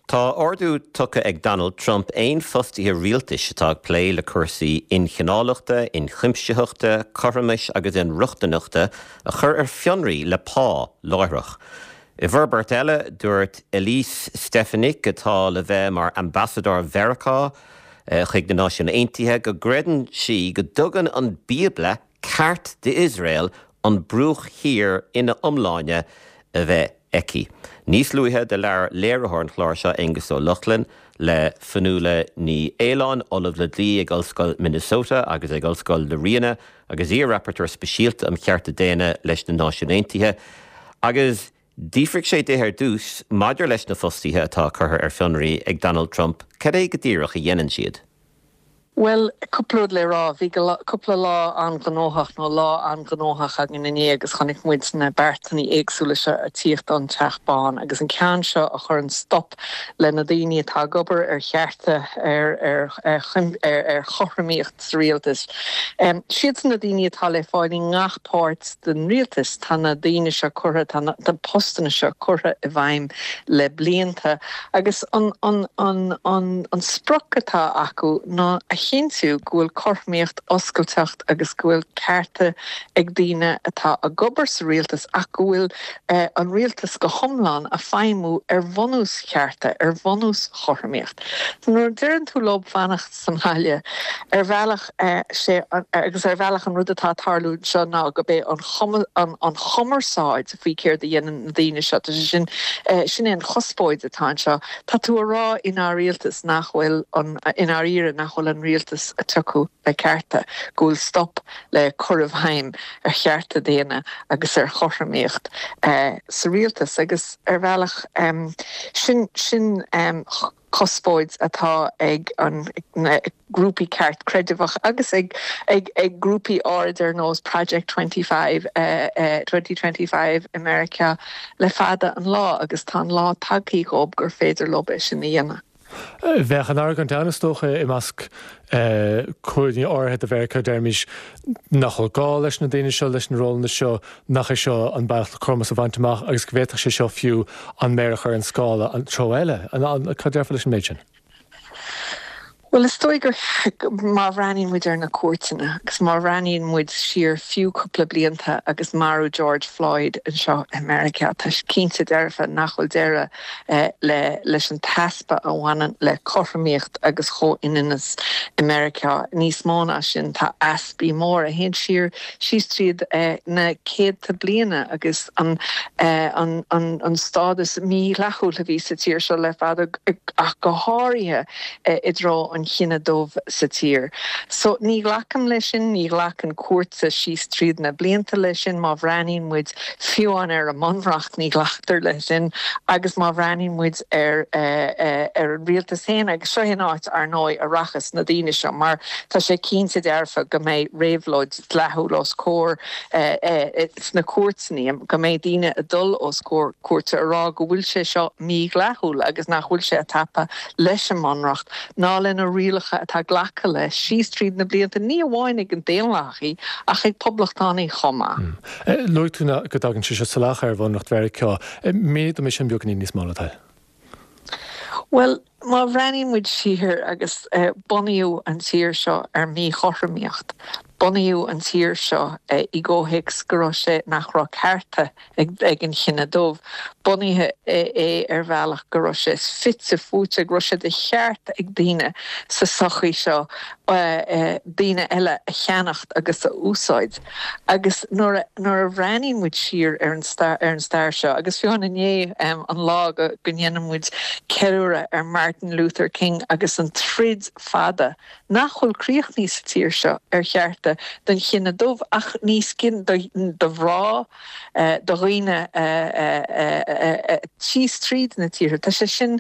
Tá ordú tugtha ag Donald Trump aon fostaithe rialtais atá ag plé le cúrsaí inchineálachta, ionchuimsitheachta, cothromais agus inrochtaineachta a chur ar fionraí le pá láithreach. I bhforbairt eile, dúirt Elise Stefanik, atá le bheith mar ambasadóir Mheiriceá chuig na Náisiúin Aontaithe, go gcreideann sí go dtugann an Bíobla ceart d'Iosrael an Bruach Thiar ina iomláine a bheith aici. Níos luaithe do labhair léiritheoir an chláir seo, Aengus Ó Lochlainn, le Fionnuala Ní Aoláin, Ollamh le Dlí ag Ollscoil Minnesota agus ag Ollscoil na Ríona agus iar-Rapporteur Speisialta um Chearta Daonna leis na Náisiúin Aontaithe, agus d'fhiafraigh sé di ar dtús maidir leis na fostaithe atá curtha ar fionraí ag Donald Trump, cad é go díreach a dhéanann siad? Bhuel, cúpla rud le rá. Bhí cúpla lá an-ghnóthach, nó lá an-ghnóthach againn inné agus chonaic muid na beartanna éagsúla seo ag tíocht ón Teach Bán agus an ceann seo a chuireann stop le na daoine atá ag obair ar chearta, ar ar chothromaíocht sa rialtas. Siadsan na daoine atá le fáil i ngach páirt den rialtas. Tá na daoine seo curtha, tá na postanna seo curtha i bhfeidhm le blianta agus an an sprioc atá acu ná a chinntiú go bhfuil cothromaíocht, oscailteacht agus go bhfuil cearta ag daoine atá ag obair sa rialtas ach go bhfuil an rialtas go hiomlán a feidhmiú ar bhunús chearta, ar bhunús chothromaíocht. Nuair a deireann tú leo fanacht sa mbaile, ar bhealach sé agus ar bhealach an rud atá ag tarlú anseo ná go b'é an an chumarsáid faoi céard a dhéanann na daoine seo, tá sé sin, sin é an chuspóid atá anseo. Tá tú a rá i ndáiríre nach bhfuil an, i ndáiríre nach bhfuil an rialtas a tiocadh le cearta, go bhfuil stop le cur i bhfeidhm ar chearta daonna agus ar chothromaíocht sa rialtas agus ar bhealach sin, sin cuspóid atá ag an na grúpaí ceartchreidmheach agus ag ag ag grúpaí áirid ar nós Project 25 2025 i Meiriceá le fada an lá agus tá an lá tagthaí dhób gur féidir leob é sin a dhéanamh. Bheadh an argóint ann is dócha i measc cúinní áirithe de Mheiriceá, deirimis, nach bhfuil gá leis na daoine seo, leis na rólanna seo, nach é seo an bealach le cothromas a bhaint amach agus go bhféadfadh sé seo fiú an méar a chur ar an scála an treo eile. Cad déarfá leis an méid sin? Bhuel, is dóigh gur, má bhreathnaíonn muid ar na cúirteanna agus má bhreathnaíonn muid siar fiú cúpla blianta agus marú George Floyd anseo i Meiriceá, tá sé cinnte dearfa nach bhfuil deireadh le leis an t-easpa a bhaineann le cothromaíocht agus chomhionannas i Meiriceá. Níos mó ná sin, tá easpaí móra a théann siar síos tríd na céadta bliana agus an an stádas mídhleathúil a bhí sa tír seo le fada ach go háirithe i dtreo an chine dubh sa tír. So ní ghlacaim leis sin, ní ghlacann cúirteanna síos tríd na blianta leis sin, má bhreathnaíonn muid fiú amháin ar an mbunreacht ní ghlactar leis sin agus má bhreathnaíonn muid ar ar an rialtas féin agus seo é an áit ar ndóigh a rachas na daoine seo mar tá sé cinnte dearfa go mbeidh réabhlóid dleathúil os comhair sna cúirteanna, go mbeidh daoine ag dul os comhair cúirte a rá go bhfuil sé seo mídhleathúil agus nach bhfuil sé ag tapa leis an mBunreacht ná lena rialacha atá glactha leis síos tríd na blianta, ní amháin ag na Daonlathaigh ach ag Poblachtánaigh chomh maith. Luaigh tú go dtagann sé seo salach ar Bhunreacht Mheiriceá. Mínigh dom é sin beagáinín níos mó, le do thoil. Bhuel, má bhreathnaíonn muid siar agus bunaíodh an tír seo ar mhíchothromaíocht, bunaíodh an tír seo i gcomhthéacs go raibh sé, nach raibh cearta ag an chine dubh, bunaithe é ar bhealach go raibh sé fite fuaite, go raibh sé de cheart ag daoine sa sochaí seo daoine eile a cheannacht agus a úsáid. Agus nuair a nuair a bhreathnaíonn muid siar ar an stair ar an stair seo, agus fiú amháin inné, an lá go go ndéanann muid ceiliúradh ar Martin Luther King agus an troid fada nach bhfuil críochnaithe sa tír seo ar chearta don chine dubh ach níos do do mhná, do dhaoine síos tríd na tíortha. Tá sé sin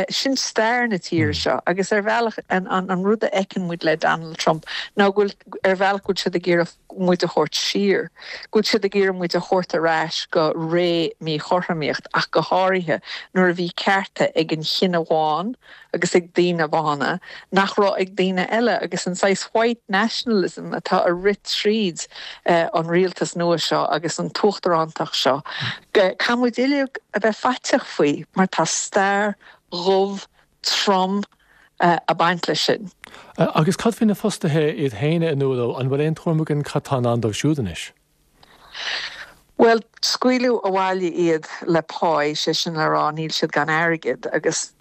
sin stair na tíre seo agus ar bhealach an an rud a fheiceann muid le Donald Trump ná go bhfuil ar bhealach go bhfuil siad ag iarraidh muid a thabhairt siar, go bhfuil siad ag iarraidh muid a thabhairt ar ais go ré míchothromaíocht, ach go háirithe nuair a bhí cearta ag an chine bhán agus ag daoine bána nach raibh ag daoine eile agus an saghas white nationalism atá ag rith tríd an rialtas nua seo agus an t-uachtarántacht seo. Caithfidh muid uilig a bheith faiteach faoi mar tá stair dhubh trom ag baint leis sin. Agus cad faoi na fostaithe iad féin a Nuala, an bhfuil aon tuairim againn cad tá i ndán dóibh siúd anois? Bhuel, scaoileadh abhaile iad le páí, sé sin le rá níl siad gan airgead agus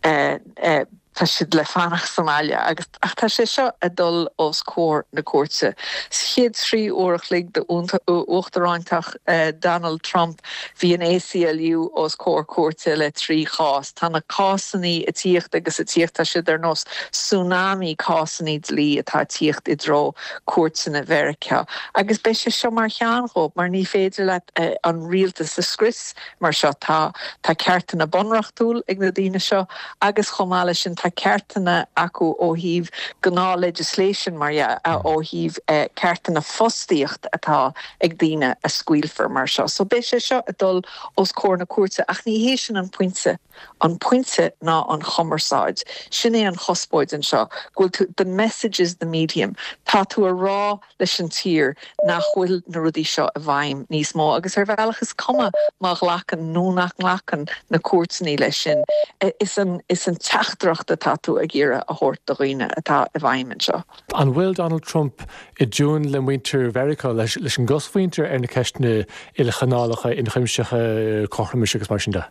tá siad le fanacht sa mbaile agus ach tá sé seo ag dul os comhair na cúirte. Sa chéad 3 uair a chloig d'uachtarántacht Donald Trump Bhí an ACLU os comhair cúirte le 3 chás. Tá na cásannaí ag tíocht agus ag tíocht, tá siad ar nós tsunami cásannaí dlí atá ag tíocht i dtreo cúirteanna Mheiriceá. Agus beidh sé seo mar cheann dhóibh mar ní féidir leat an rialtas a scrios mar seo. Tá tá ceartanna bunreachtúil ag na daoine seo agus chomh maith leis sin tá. tá ceartanna acu ó thaobh gnáth legislation mar dhea, ó thaobh ceartanna fostaíocht atá ag daoine a scaoilfear mar seo. So beidh sé seo ag dul os comhair na cúirte ach ní hé sin an pointe. An pointe ná an chumarsáid. Sin é an chuspóid anseo, go bhfuil tú, the message is the medium. Tá tú a rá leis an tír nach bhfuil na rudaí seo i bhfeidhm níos mó agus ar bhealach is cuma má ghlacann nó nach nglacann na cúirteanna leis sin, is an is an teachtaireacht atá tú ag iarraidh a thabhairt do dhaoine atá i bhfeidhm anseo. An bhfuil Donald Trump i dtiúin le muintir Mheiriceá, leis an gcosmhuintir ar na ceisteanna ilchineálacha, ionchuimsitheacha, cothromais agus mar sin de?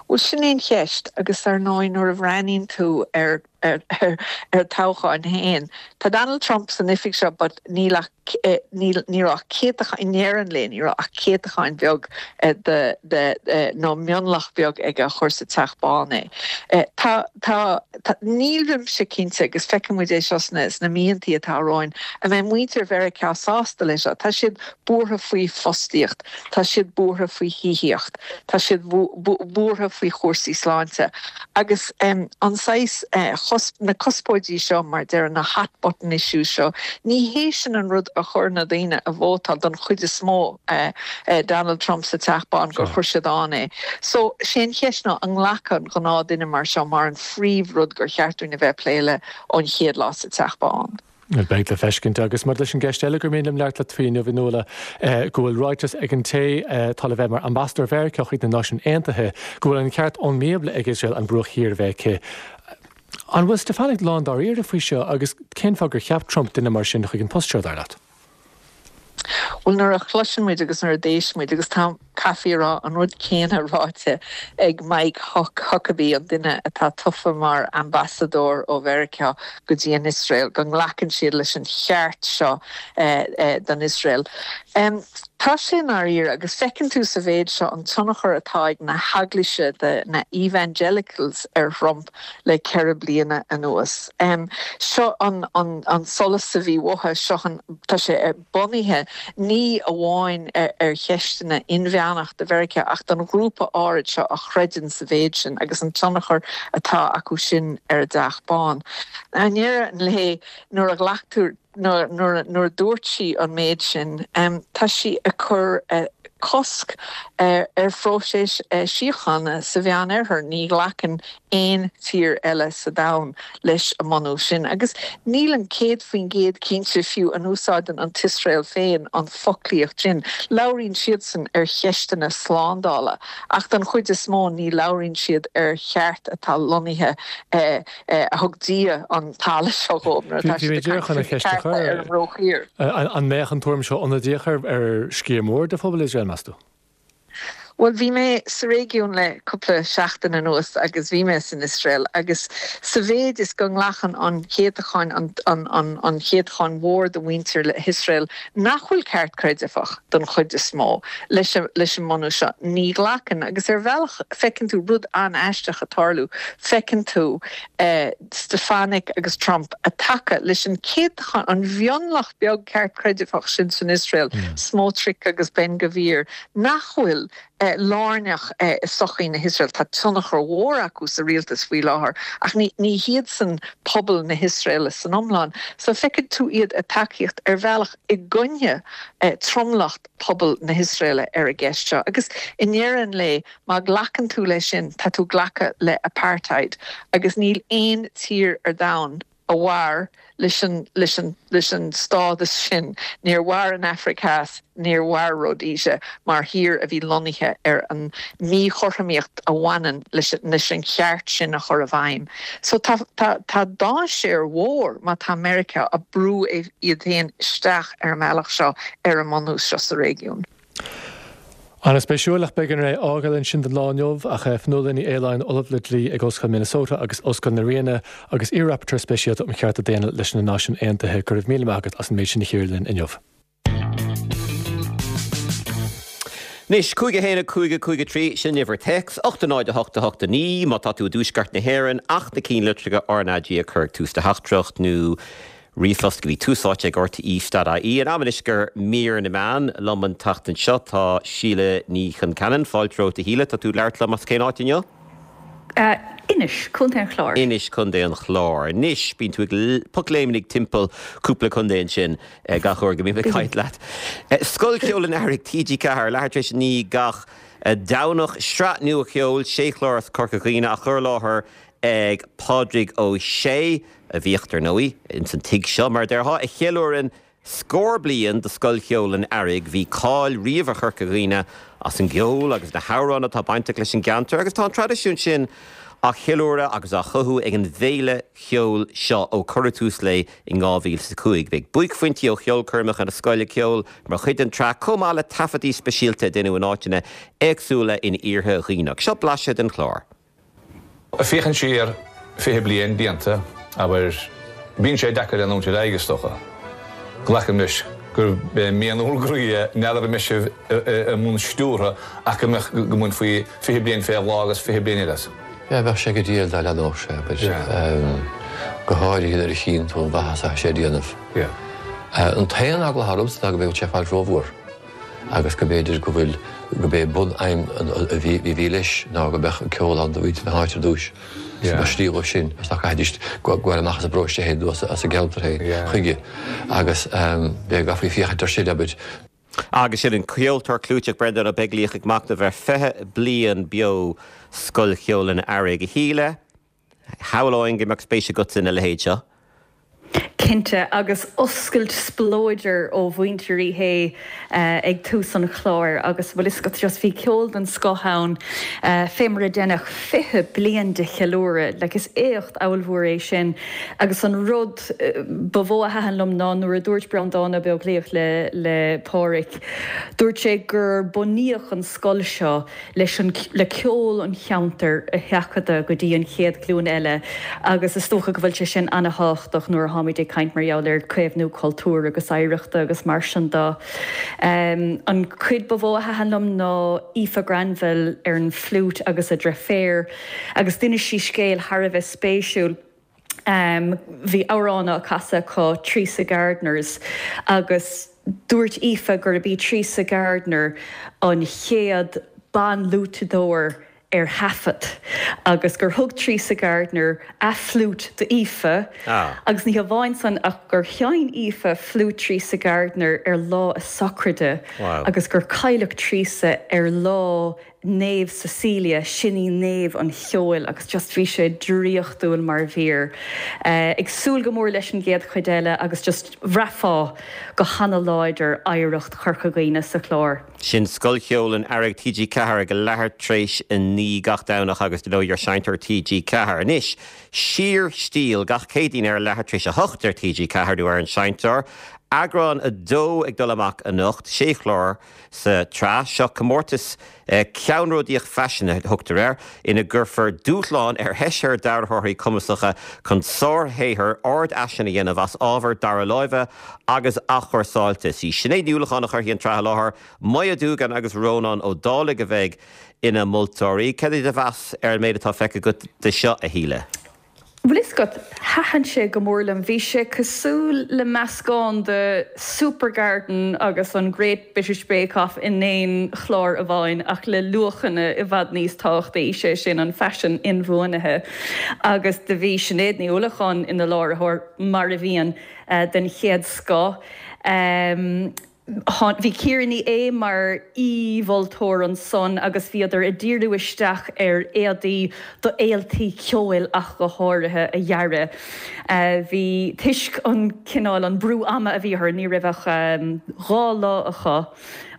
Bhuel, sin é an cheist agus ar ndóigh nuair a bhreathnaíonn tú ar ar ar toghcháin féin, tá Donald Trump san oifig seo but níl ach níl ní raibh ach céatachán, i ndeireadh an lae ní raibh ach céatachán beag de de nó mionlach beag aige a chuir sa Teach Bán é. Tá tá tá nílimse cinnte agus feicfidh muid é seo sna sna míontaí atá romhainn, an mbeidh muintir Mheiriceá sásta leis seo? Tá siad buartha faoi fostaíocht, tá siad buartha faoi thithíocht. Tá siad buartha faoi chúrsaí sláinte agus an saghas, na cuspóidí seo mar deirim, na hot button issues seo, ní hé sin an rud a chuir na daoine a vótáil don chuid is mó Donald Trump sa Teach Bán gur chuir siad ann é. So, sé an cheist ná an nglacfaidh an gnáth duine mar seo mar an phríomh rud gur cheart dúinn a bheith ag plé le ón chéad lá sa Teach Bán. Beidh le feiscint. Agus maidir leis an gceist eile gur mian liom labhairt leat faoi inniu, a Fhionnuala, go bhfuil ráiteas ag an té atá le bheith mar ambasadóir Mheiriceá chuig na Náisiúin Aontaithe go bhfuil an ceart ón mBíobla ag Iosrael an Bruach Thiar a bheith aici. An bhfuil Stefanik lán dáiríre faoi seo agus cén fáth gur cheap Trump duine mar sin chuig an post seo, dar leat? Bhuel, nuair a chloiseann muid agus nuair a d'éist muid, agus tá, caithfí a rá, an rud céanna ráite ag Mike Huckabee, an duine atá tofa mar ambasadóir ó Mheiriceá go dtí an Iosrael, go nglacann siad leis an cheart seo don Iosrael. Tá sé i ndáiríre, agus feiceann tú sa mhéid seo an tionchar atá ag na heaglaise de na evangelicals ar Thrump le 4 bliana anuas. Seo an solas a bhí uathu, seo an, tá sé bunaithe ní amháin ar cheisteanna inmheánach do Mheiriceá ach don ghrúpa áirid seo a chreideann sa mhéid sin agus an tionchar atá acu sin ar an dTeach Bán. I ndeireadh an lae, nuair a ghlac tú, nuair a dúirt sí an méid sin, tá sí ag cur cosc ar phróiseas síochána sa Mheánoirthear. Ní ghlacann aon tír eile sa domhan leis an mbunús sin. Agus nílim 100% cinnte fiú an úsáideann an tIosrael féin an foclaíocht sin. Labhraíonn siadsan ar cheisteanna slándála ach don chuid is mó ní labhraíonn siad ar cheart atá lonnaithe a thug Dia an talamh seo dhóibh nuair atá siad ag caint faoi chearta ar an mBruach Thiar. An mbeadh an tuairim seo ionadaíoch ar sciar mór de phobal Iosrael, meas tú? Bhuel, bhí mé sa réigiún le cúpla seachtain anuas agus bhí mé san Iosrael agus sa mhéid is go nglacann an céatachán, an chéatachán mhór de mhuintir hIosrael nach bhfuil ceartchreidmheach don chuid is mó, leis an mbunús seo, ní ghlacann. Agus ar bhealach feiceann tú rud an-aisteach ag tarlú, feiceann tú Stefanik agus Trump ag tacú leis an céatachán, an mhionlach beag ceartchreidmheach sin san Iosrael, Smotrich agus Ben Gvir, nach bhfuil lárnach i sochaí na hIosrael. Tá tionchar mhór acu sa rialtas faoi láthair ach ní hiadsan pobal na hIosraeile san iomlán. So feicfidh tú iad ag tacaíocht ar bhealach i gcoinne tromlach pobal na hIosraeile ar an gceist seo. Agus i ndeireadh an lae, má ghlacann tú leis sin, tá tú ag glacadh le apartheid agus níl aon tír ar domhan a mhair leis an, leis an, leis an stádas sin. Níor mhair an Afraic Theas, níor mhair Rhodesia mar thír a bhí lonnaithe ar an míchothromaíocht a bhaineann leis, leis an cheart sin a chur i bhfeidhm. So tá, tá, tá dainséar mhór má tá Meiriceá ag brú iad féin isteach ar an mbealach seo ar an mbunús seo sa réigiún. An-spéisiúil, ach b'éigean é a fhágáil ansin don lá inniu. Ach Fionnuala Ní Aoláin, Ollamh le Dlí ag Ollscoil Minnesota agus Ollscoil na Ríona, agus iar-Rapporteur Speisialta um Chearta Daonna leis na Náisiúin Aontaithe, go raibh míle maith agat as an méid sin a chíoradh linn inniu. Anois, 5 1 5 5 3, sin uimhir téacs, 8 0 8 8 9, má tá tú i dtuaisceart na hÉireann, ach na cinnlitreacha RnaG a chur ag tús do theachtaireacht, nó Ríomhphost go dtí Tús Áite ag RTÉ dot ie. An am anois do mhír na meán. Liom an tseachtain seo tá Síle Ní Chonceanainn. Fáilte romhat a Shíle. Tá tú ag labhairt liom as cén áit inniu? Inis, Contae an Chláir. Inis, Contae an Chláir. Anois, bíonn tú ag pocléimnigh timpeall cúpla contae ansin gach uair go mbím ag caint leat. Scoil Cheoil an Earraigh, TG4, leathuair tar éis a 9 gach Domhnach. Sraith nua cheoil, sé chlár as Corca Dhuibhne á chur i láthair ag Pádraig Ó Sé, a bhíodh, dar ndóigh, ins an tigh seo, mar a déarfá, a cheiliúrann Scór bliain de Scoil Cheoil an Earraigh, bhí cáil riamh ar Chorca Dhuibhne as an gceol agus na hamhráin atá bainteach leis an gceantar agus tá an traidisiún sin á cheiliúradh agus á chothú ag an bhféile cheoil seo ó cuireadh tús léi in 2005. Beidh buaicphointí ó cheolchoirmeacha na scoile ceoil mar chuid den tsraith chomh maith le taifeadtaí speisialta a deineadh in áiteanna éagsúla in iarthar Dhuibhneach. Seo blaiseadh den chlár. Ag féachaint siar 20 bliain déanta, abair, bíonn sé deacair leanúint ar aghaidh, is dócha. Glacaim leis gurb é mian bhur gcroí é, n'fheadar an mbeidh sibh i mbun stiúrtha ach go mbeadh, go mbainfí 20 bliain fé bhláth agus 20 bliain eile as. Yeah, bheadh sé go diail dá leanódh sé, abair, go háirithe nuair a chíonn tú an mhaitheas atá sé a déanamh. An t-aon eagla atá ormsa ná go mbeadh sé ag fáil rómhór. agus go mb'fhéidir go bhfuil, go b'é bun-aidhm a bhí, a bhí leis ná go mbeadh ceol ann do mhuintir na háite ar dtúis, is go mbeadh slí dhóibh sin agus nach gcaithfidís gabháil amach as an bparóiste féin nó as an gceantar féin chuige agus b'é go gcaithfí féachaint air sin, abair. Agus sin an ceoltóir clúiteach Breandán Ó Beaglaoich ag machnamh ar 20 bliain beo Scoil Cheoil an Earraigh. A Shíle, Shamhlóinn go mbeadh spéis agatsa ina leithéid seo. Cinnte, agus oscailt spleodair ó mhuintir Uí Shé ag tús an chláir agus bhfuil fhios agat just bhí ceol den scoth ann fé mar a deineadh 20 bliain de cheiliúradh, like is éacht ollmhór é sin agus an rud ba mhó a thaitin liom ná nuair a dúirt Breandán Ó Beaglaoich le le Pádhraic, dúirt sé gur bunaíodh an scoil seo leis an le ceol an cheantair a sheachadadh go dtí an chéad ghlúin eile agus is dócha go bhfuil sé sin ana-thábhachtach nuair atháimid ag caint mar gheall ar caomhnú cultúir agus oidhreachta agus mar sin de. An cuid ba mhó a thaitin liom ná Aoife Granville ar an fliúit agus a dreiféar agus d'inis sí scéal thar a bheith spéisiúil. Bhí amhrán á casadh acu, Teresa Gardners, agus dúirt Aoife gurb í Teresa Gardner an chéad ban-fhliúiteadóir ar thaifead agus gur thug Teresa Gardner a fliúit d'Aoife agus ní hamháin san ach gur sheinn Aoife fliúit Teresa Gardner ar lá a sochraide agus gur cailleadh Teresa ar lá Naomh Cecilia, sin í naomh an cheoil agus just bhí sé draíochtúil mar mhír. Ag súil go mór leis an gcéad chuid eile agus just bhraithfeá go hana-láidir oidhreacht Chorca Dhuibhne sa chlár. Sin Scoil Cheoil an Earraigh, TG4 ag leathuair tar éis a 9 gach Domhnach agus dar ndóigh ar Seinnteoir TG4. Anois, Síorstíl gach Céadaoin ar leathuair tar éis a 8 ar TG4 nó ar an Seinnteoir. Eagrán 2 ag dul amach anocht, sé chlár. Sa tsraith seo, comórtas ceannródaíoch faisin a thugtar air, ina gcuirfear dúshlán ar sheisear dearthóirí cumasacha chun sárshaothar ardfhaisin a dhéanamh as ábhar dara láimhe agus athchúrsáilte. Is í Sinéad Ní Uallacháin a chuirfidh an tsraith i láthair, Moya Doogan agus Rónán Ó Dálaigh a bheidh ina moltóirí. Cad é do mheas ar an méid atá feicthe agat de seo, a Shíle? Bhfuil fhios agat, thaitin sé go mór liom. Bhí sé cosúil le meascán de Supergarden agus an Great British Bake Off in aon chlár amháin ach le luachanna i bhfad níos tábhachtaí, sé sin an faisean inbhuanaithe. Agus do bhí Sinéad Ní Uallacháin ina láithreoir, mar a bhíonn, den chéad scoth. Bhí Ciara Ní É mar aoi-mholtóir ansan agus bhíodar ag díriú isteach ar éadaí do fhéiltí ceoil ach go háirithe a dhearadh. Bhí, toisc an cineál, an brú ama a bhí orthu, ní raibh ach 2 lá acu.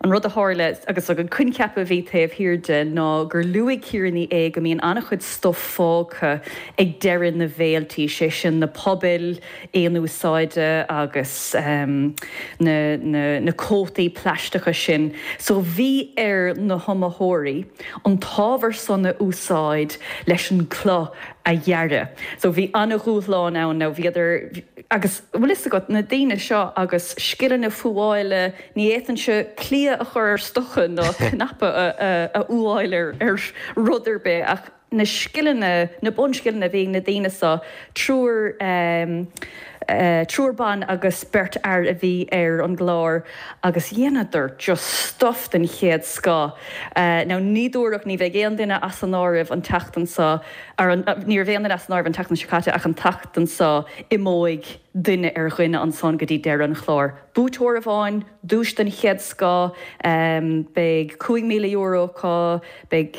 An rud a tharla agus an coincheap a bhí taobh thiar de ná gur luaigh Ciara Ní É go mbíonn an-chuid stuif fágtha ag deireadh na bhféiltí, sé sin na pubaill, aon úsáide agus na na cótaí plaisteacha sin. So bhí ar na hiomaitheoirí an t-ábhar san a úsáid leis an gcloth a dhearadh. So bhí an-dhúshlán ann. Now bhíodar, agus bhfuil fhios agat, na daoine seo agus scileanna fuála, ní fhéadfainnse cliath a chur ar stoca ná cnaipe a fhuáil ar rud ar bith ach, na scileanna, na bunscileanna a bhí ag na daoine seo, triúr. Triúr ban agus beirt fhear a bhí ar an gclár agus dheineadar just stuff den chéad scoth. Now ní dúradh, ní bheidh aon duine as an áireamh an tseachtain seo, or ní raibh aon duine as an áireamh an tseachtain seo caite ach an tseachtain seo imeoidh duine ar dhuine ansan go dtí deireadh an chláir. Buaiteoir amháin, duais den chéad scoth, beidh €5,000 acu, Beidh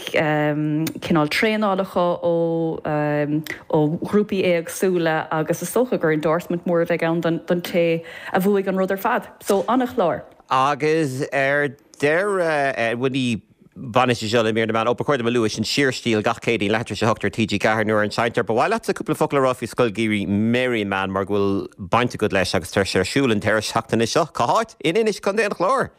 cineál traenáil acu ó ó ghrúpaí éagsúla agus is dócha gur endorsement mór a bheidh ann don té a bhuaigh an rud ar fad. So, an-chlár. Agus ar deireadh, bhuel ní bhaineann sé seo le mír na meán, ó ba chóir dom a lua, sin Síorstíl gach Céadaoin leathuair tar éis a hocht ar TG4 nuair an seinntear. Ba mhaith leatsa cúpla focal a rá faoi Scoil Gheimhridh Merriman mar go bhfuil baint agat leis agus tá sé ar siúl an deireadh seachtaine seo. Cá háit? In Inis, Contae an Chláir!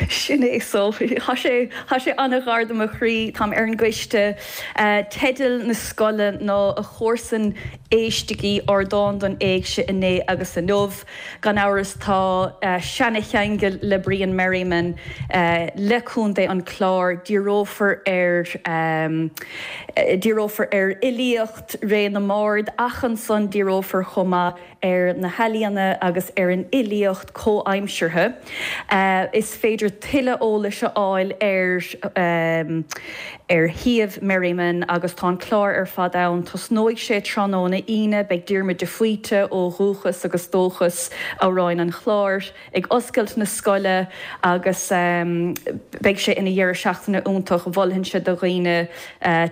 Sin é so. Tá sé, tá sé an-ghar do mo chroí. Táim ar an gcoiste. Teideal na scoile ná A Chomharsain Éistigí, Ardán don Éigse Inné agus Inniu. Gan amhras tá seana-cheangal le Brian Merriman le Contae an Chláir. Díreofar ar, díreofar ar fhilíocht ré na mbard ach ansan díreofar chomh maith ar na healaíona agus ar an fhilíocht comhaimseartha. Is féidir tuilleadh eolais a fháil ar ar shuíomh Merriman agus tá an clár ar fad ann. Tosnóidh sé tráthnóna Aoine. Beidh Diarmuid de Faoite ó Dhúchas agus Dóchas, Amhráin an Chláir, ag oscailt na scoile agus beidh sé ina dheireadh seachtaine iontach. Mholfainnse do dhaoine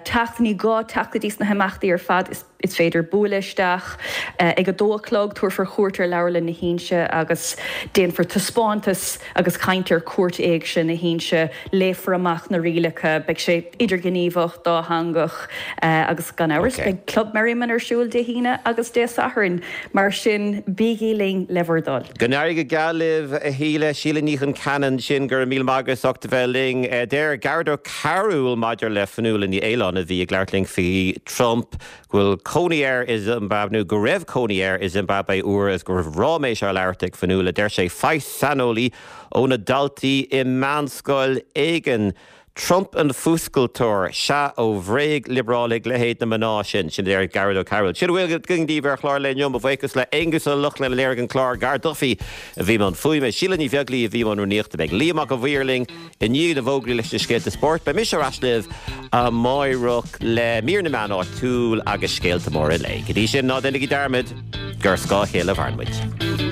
teacht. Ní gá teacht go dtí sna himeachtaí ar fad. Is. Is féidir bualadh isteach ag a dó a chlog, tabharfar cuairt ar Leabharlann na hInse agus déanfar taispeántas agus caint ar Cúirt Éigse na hInse. Léifear amach na rialacha, beidh sé idirghníomhach, dátheangach agus gan amhras beidh Club Merriman ar siúl Dé hAoine agus Dé Sathairn. Mar sin, bígí linn le bhur dtoil. Go n-éirí go geal libh, a Shíle. Síle Ní Chonceanainn ansin, go raibh míle maith agat as ucht a bheith linn. Deir Gearóid Ó Cearúil maidir le Fionnuala Ní Aoláin a bhí ag labhairt linn faoi Trump, go bhfuil cónaí air i Zimbabwe, nó go raibh cónaí air i Zimbabwe uair agus go raibh ráiméis á labhairt ag Fionnuala. Deir sé, faigh saineolaí ó na daltaí i meánscoil éigin. Trump an fuascailteoir, sea, ó bhréag-liobrálaigh leithéid na mná sin. Sin a deir Gearóid Ó Cearúil. Sin a bhfuil againn daoibh ar chlár an lae inniu. Mo bhuíochas le Aonghus Ó Lochlainn a léirigh an clár, Gar Duffy a bhí i mbun fuaime, Síle Ní Bheaglaoí a bhí i mbun rúnaíochta. Beidh Liam Mac an Mhaoir linn I ndiaidh na bhfógraí leis na scéalta spóirt, beidh mise ar ais libh amáireach le mír na meán áitiúil agus scéalta móra an lae. Go dtí sin, ná déanaigí dearmad gur ar scáth a chéile a mhaireann muid.